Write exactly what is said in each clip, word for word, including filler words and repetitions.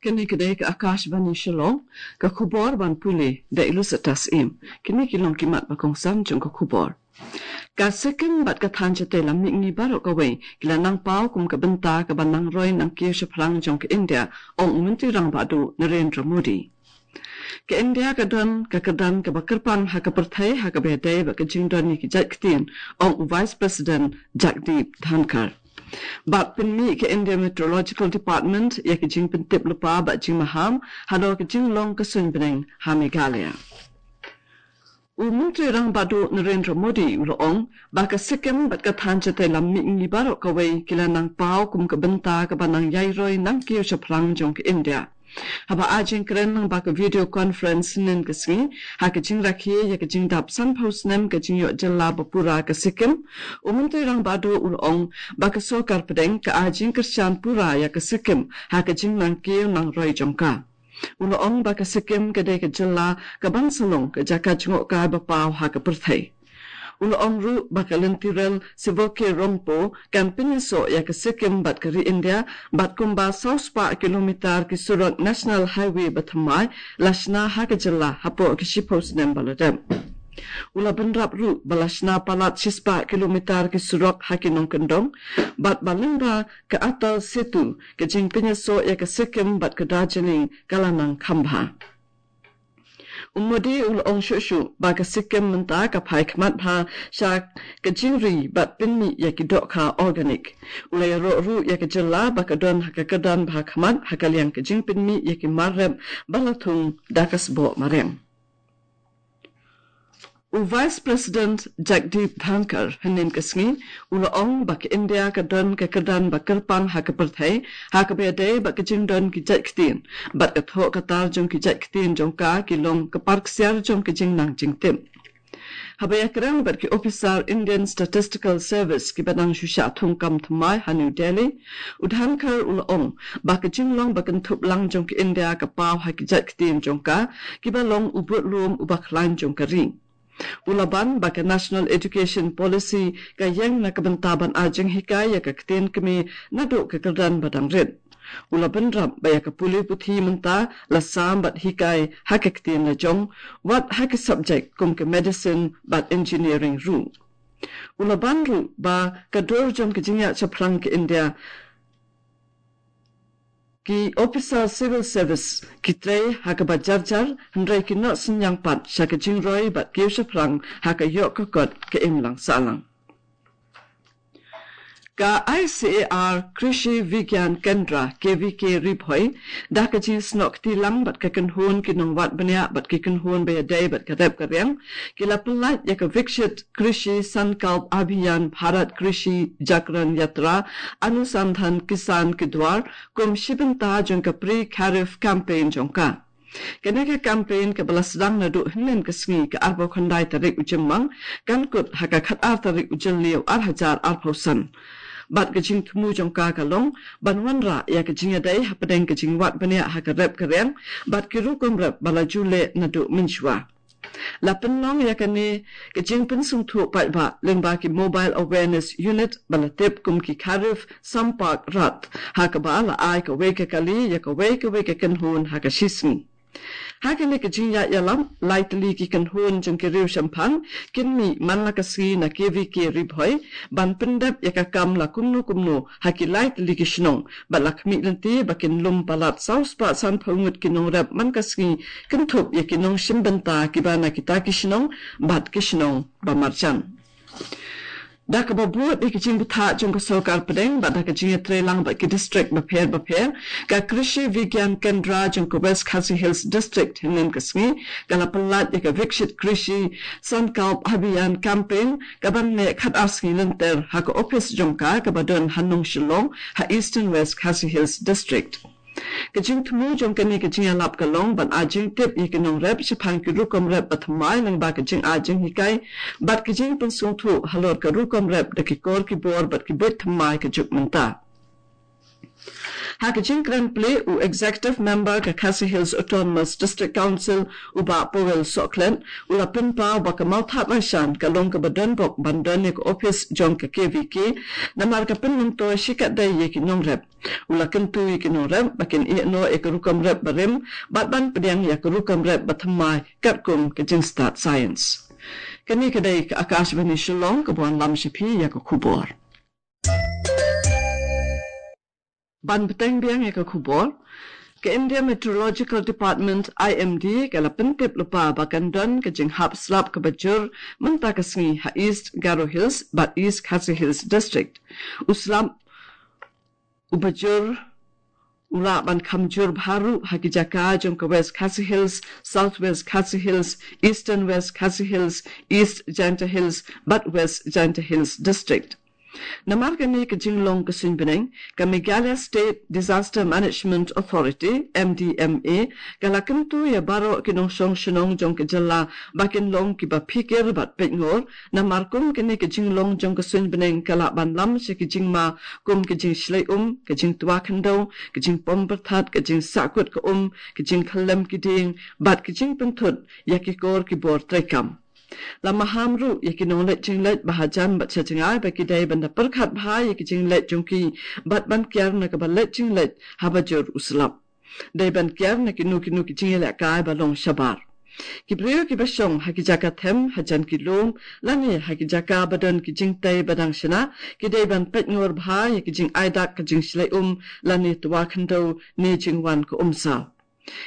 Kane ka dei ka Akashvani Shillong, ka khubor ban pule da Ilusatas Im. Kine ki long ki mat ba kongsan jong ka khubor. Ka Sikkim bad ka thaiñ shatei lam mihngi baroh kawei ki la nang paw kum ka bynta kaba nang roi nang kiew shaphrang jong ka India, ong u Myntri Rangbah Duh Narendra Modi. Ka India ka don ka kyrdan kaba kyrpang ha ka pyrthei ha kaba ïadei bad ka jingdon ïa ki jait ktien, ong u Vice President Jagdeep Dhankhar. Bad pynmih ka India Meteorological Department ïa ki jingpyntip lypa bad jingmaham halor ka jinglong ka suiñ bneng ha Meghalaya. U Myntri Rangbah Duh Narendra Modi u la ong ba ka Sikkim bad ka thaiñ shatei lam mihngi baroh kawei ki la nang paw kum ka bynta kaba nang ïai roi nang kiew shaphrang jong ka India. Haba ai jingkren lyngba ka video conference hynnin ka sngi ha ka jingrakhe ïa ka jingdap sanphew snem ka jingïoh jylla ba pura ka Sikkim, u Myntri Rangbah Duh u la ong ba ka sorkar pdeng ka ai jingkyrshan pura ïa ka Sikkim ha ka jingnang kiew nang roi jong ka. U la ong ba ka Sikkim ka dei ka jylla kaban sa long ka jaka jngohkai ba paw ha ka pyrthei. U la ong ruh ba ka lynti rel Shivoke Rongpo kan pynïasoh ïa ka Sikkim bad ka ri India, bad kumba saw spah kilometer ki surok National Highway ba thymmai la shna ha ka jylla hapoh ki shiphew snem ba la dep. U la bynrap ruh ba la shna palat shispah kilometer ki surok ha ki nongkyndong, bad ba lyngba ka Atal Setu ka jingpynïasoh ïa ka Sikkim bad ka Darjeeling ka la nang kham bha. U Modi u la ong shuh shuh ba ka Sikkim mynta ka phai khmat bha sha ka jingri bad pynmih ïa ki dohkha organic. U la ïaroh ruh ïa ka jylla ba ka don ha ka kyrdan bha khmat ha ka liang ka jingpynmih ïa ki mar rep ba la thung da ka sboh mariang. U Vice President Jagdeep Dhankhar hynnin ka sngi u la ong ba ka India ka don ka kyrdan ba kyrpang ha ka pyrthei ha kaba ïadei bad ka jingdon ki jait ktien, bad ka thoh ka tar jong ki jait ktien jong ka ki long ka par ksiar jong ka jingnang jingtip. Haba ïakren bad ki ophisar Indian Statistical Service kiba dang shu shah thung kam thymmai ha New Delhi, u Dhankhar u la ong ba ka jinglong ba kynthup lang jong ka India ka paw ha ki jait ktien jong ka kiba long u budlum uba khlaiñ jong ka ri. U la ban ba ka National Education Policy ka ïeng na ka bynta ban ai jinghikai ïa ka ktien kmie naduh ka kyrdan ba dang rit. U la bynrap ba ïa ka pule puthi mynta la sam bad hikai ha ka ktien lajong, wat ha ki subject kum ka medicine bad engineering ruh. U la ban ruh ba ka dur jong ka jingïaid shaphrang ka India, ki ophisar civil service ki trei ha kaba jar jar, hynrei ki noh synñiang pat sha ka jingroi bad kiew shaphrang ha ka ïoh ka kot ka imlang sahlang. Ka I C A R Krishi Vigyan Kendra, K V K Ri Bhoi, da ka jingsnoh kti lang bad ka kynhun ki nongwad bniah bad ki kynhun ba ïadei bad ka rep ka riang, ki la pyllait ïa ka Viksit Krishi Sankalp Abhiyan Bharat Krishi Jagran Yatra Anusandhan Kisan Ki Dwar kum shi bynta jong ka Pre Kharif Campaign jong ka. Kane ka campaign kaba la sdang naduh hynnin ka sngi ka arphew khyndai tarik u Jymmang kan kut ha ka khatar tarik u Jylliew ar hajar arphew san. Bad ka jingthmu jong ka ka long ban wanrah ïa ka jingïadei hapdeng ka jingwad bniah ha ka rep ka riang bad ki rukom rep ba la ju leh naduh mynshuwa. La pynlong ïa kane ka jingpynsngewthuh paidbah lyngba ki Mobile Awareness Unit ba la tip kum ki Kharif Sampark Rath, ha kaba la ai kawei ka kali ïa kawei kawei ka kynhun ha ka shisngi. Ha kane ka jingïaid ïalam, lai tylli ki kynhun jong ki riew shemphang kin mih man la ka sngi na K V K Ri Bhoi ban pyndep ïa ka kam la kumno kumno ha ki lai tylli ki shnong, bad la khmih lynti ba kin lum palat saw spah sanphew ngut ki nongrep man ka sngi, kynthup ïa ki nongshim bynta kiba na kita ki shnong bad ki shnong ba marjan. Da kaba bud ïa ki jingbthah jong ka sorkar pdeng bad da ka jingïatreilang bad ki district bapher bapher, ka Krishi Vigyan Kendra jong ka West Khasi Hills District hynnin ka sngi ka la pyllait ïa ka Viksit Krishi Sankalp Abhiyan Campaign, kaban neh khatar sngi lynter ha ka ophis jong ka kaba don ha Nongshillong ha Eastern West Khasi Hills District. Ka jingthmu jong kane ka jingïalap ka long ban ai jingtip ïa ki nongrep shaphang ki rukom rep ba thymmai lyngba ka jingai jinghikai bad ka jingpynsngewthuh halor ka rukom rep da ki kor ki bor bad ki buit thymmai ka juk mynta. Ha ka jingkren plie, u Executive Member ka Khasi Hills Autonomous District Council, u Bah Powell Sohkhlet, u la pynpaw ba ka Mawthadraishan ka long kaba donbok ban don ïa ka ophis jong ka K V K, namar ka pynmyntoi shikatdei ïa ki nongrep. U la kyntu ïa ki nongrep ba kin ïeh noh ïa ka rukom rep barim, bad ban pdiang ïa ka rukom rep bathymmai katkum ka jingstad science. Kane ka dei ka Akashvani Shillong kaba wanlam sha phi ïa ka khubor. Ban bteng biang ïa ka khubor, ka India Meteorological Department, I M D, ka la pyntip lypa ba kan don ka jinghap slap kaba jur mynta ka sngi ha East Garo Hills bad East Khasi Hills District. U slap uba jur u lah ban kham jur bha ruh ha ki jaka jong ka West Khasi Hills, South West Khasi Hills, Eastern West Khasi Hills, East Jaintia Hills bad West Jaintia Hills District. Namar kane ka jinglong ka suiñ bneng, ka Meghalaya State Disaster Management Authority, M D M A, ka la kyntu ïa baroh ki nongshong shnong jong ka jylla ba kin long kiba phikir bad peitngor, namar kum kane ka jinglong jong ka suiñ bneng ka lah ban lam sha ki jingma kum ka jingshlei um, ka jingtwa khyndew, ka jingpom pyrthat, ka jingsahkut ka um, ka jingkhyllem ki dieng bad ka jingpynthut ïa ki kor ki bor treikam. La maham ruh ïa ki nongleit jingleit ba hajan bad shajngai ba ki dei ban da pyrkhat bha ïa ki jingleit jong ki bad ban kiar na kaba leit jingleit haba jur u slap. Dei ban kiar na kino kino ki jingïalehkai ba long shabar. Ki briew kiba shong ha ki jaka them hajan ki lum lane ha ki jaka ba don ki jingtei ba dang shna, ki dei ban peitngor bha ïa ki jingai dak ka jingshlei um lane twa khyndew ne jingwan ka umsaw.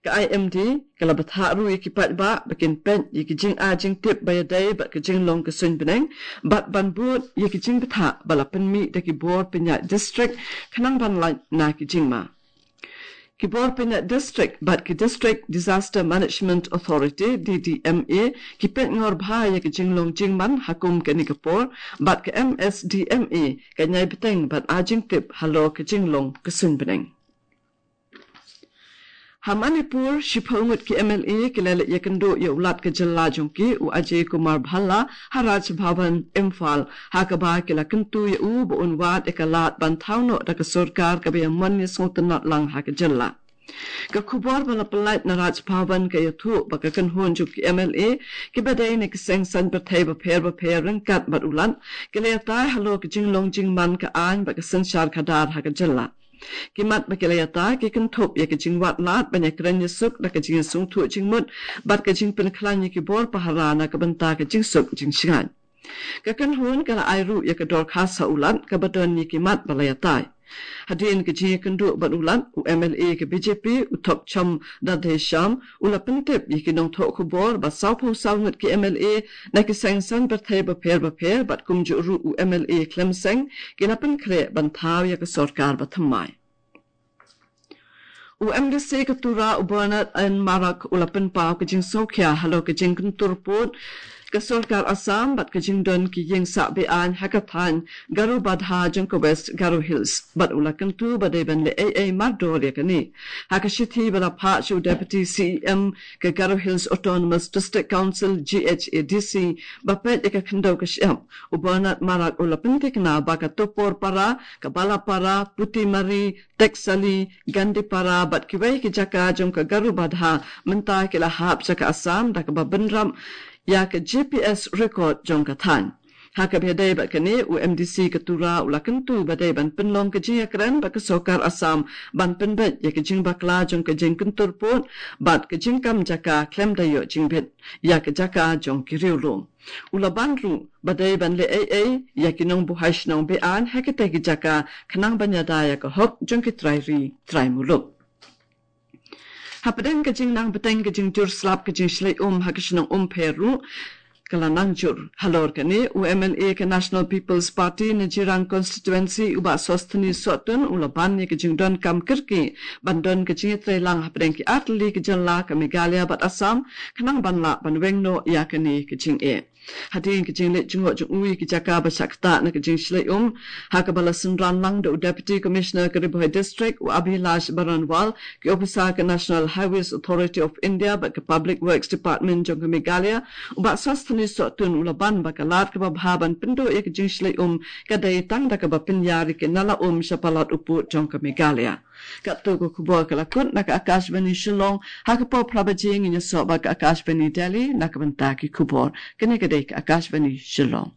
Ka I M D ka la bthah ruh ïa ki paidbah ba kin peit ïa ki jingai jingtip ba ïadei bad ka jinglong ka suiñ bneng bad ban bud ïa ki jingbthah ba la pynmih da ki bor pynïaid district khnang ban lait na ki jingma. Ki bor pynïaid district bad ki District Disaster Management Authority, D D M A, ki peitngor bha ïa ka jinglong jingman ha kum kane ka por bad ka M S D M A kan ïai bteng bad ai jingtip halor ka jinglong ka suiñ bneng. Ha Manipur, shiphew ngut ki M L A ki la leit ïakynduh ïa u Lat ka jylla jong ki, u Ajay Kumar Bhalla, ha Raj Bhavan, Imphal, ha kaba ki la kyntu ïa u ba un wad ïa ka lad ban thaw noh da ka sorkar kaba ïa mon ïa sngewtynnad lang ha ka jylla. Ka khubor ba la pyllait na Raj Bhavan ka ïathuh ba ka kynhun jong ki M L A kiba dei na ki seng saiñ pyrthei bapher bapher ryngkat bad u Lat ki la ïatai halor ka jinglong jingman ka aiñ bad ka synshar khadar ha ka jylla. Ki mat ba ki la ïatai ki kynthup ïa ka jingwad lad ban ïakren ïasuk da ka jingïasngewthuh jingmut bad ka jingpynkhlaiñ ïa ki bor pahara na ka bynta ka jingsuk jingshngaiñ. Ka kynhun ka la ai ruh ïa ka dorkhas ha u Lat kaba don ïa ki mat ba la ïatai. Hadien ka jingïakynduh bad u Lat, u M L A ka B J P, u Thokchom Dadhesham, u la pyntip ïa ki nongthoh khubor ba sawphew saw ngut ki M L A na ki seng saiñ pyrthei bapher bapher bad kumjuh ruh u M L A khlem seng ki la pynkhreh ban thaw ïa ka sorkar bathymmai. U M D C ka Tura, u Bernard N Marak, u la pynpaw ka jingsngewkhia halor ka jingkyntur pud ka sorkar Assam bad ka jingdon ki ïing sah be-aiñ ha ka thaiñ Garubadha jong ka West Garo Hills bad u la kyntu ba dei ban leh ei ei mardor ïa kane. Ha ka shithi ba la phah sha u Deputy C E M ka Garo Hills Autonomous District Council, G H A D C, ba peit ïa ka khyndew ka shyiap, u Bernard Marak u la pynthikna ba ka Topor Para, ka Balapara, Putimari, Teksali, Gandipara bad kiwei ki jaka jong ka Garubadha mynta ki la hap sha ka Assam da kaba bynrap ïa ka G P S record jong ka thaiñ. Ha kaba ïadei bad kane, u M D C ka Tura u la kyntu ba dei ban pynlong ka jingïakren bad ka sorkar Assam ban pynbeit ïa ka jingbakla jong ka jingkyntur pud bad ka jingkam jaka khlem da ïoh jingbit ïa ka jaka jong ki riewlum. U la ban ruh ba dei ban leh ei ei ïa ki nongbuhai shnong be-aiñ ha kitei ki jaka khnang ban ïada ïa ka hok jong ki trai ri trai muluk. Hapdeng ka jingnang bteng ka jingjur slap ka jingshlei um ha ka shnong Umpher ruh ka la nang jur. Halor kane, u M L A ka National People's Party na Jirang Constituency, u Bah Sosthenes Sohtun, u la ban ïa ka jingdonkam kyrkieh ban don ka jingïatreilang hapdeng ki artylli ki jylla ka Meghalaya bad Assam khnang ban lah ban weng noh ïa kane ka jingeh. Hadien ka jingleit jngoh jong u ïa ki jaka ba shah ktah na ka jingshlei um, ha kaba la synran lang da u Deputy Commissioner ka Ri Bhoi District, u Abhilash Baranwal, ki ophisar ka National Highways Authority of India bad ka Public Works Department jong ka Meghalaya, u Bah Sosthenes Sohtun u la ban ba ka lad kaba bha ban pynduh ïa ka jingshlei um ka dei tang da kaba pynïar ïa ki nala um sha palat u pud jong ka Meghalaya. Katto ka khubor ka la kut na ka Akashvani Shillong, ha ka por phra baje ngin ïasoh bad ka Akashvani Delhi na ka bynta ki khubor. Kane ka dei ka Akashvani Shillong.